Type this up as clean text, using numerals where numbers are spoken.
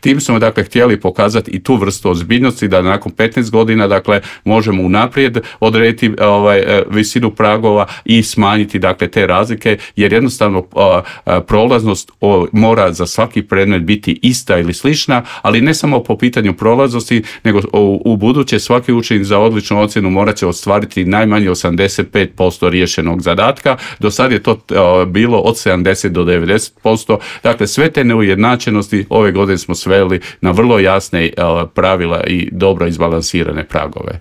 Tim smo dakle htjeli pokazati i tu vrstu ozbiljnosti da nakon 15 godina dakle možemo unaprijed odrediti visinu pragova i smanjiti dakle te razlike, jer jednostavno prolaznost mora za svaki predmet biti ista ili slična, ali ne samo po pitanju prolaznosti, nego u buduće svaki učenik za odličnu ocjenu morat će ostvariti najmanje 85% riješenog zadatka. Do sad je to bilo od 70 do 90%. Dakle, sve te neujednačenosti ove godine smo sveli na vrlo jasne pravila i dobro izbalansirane pragove.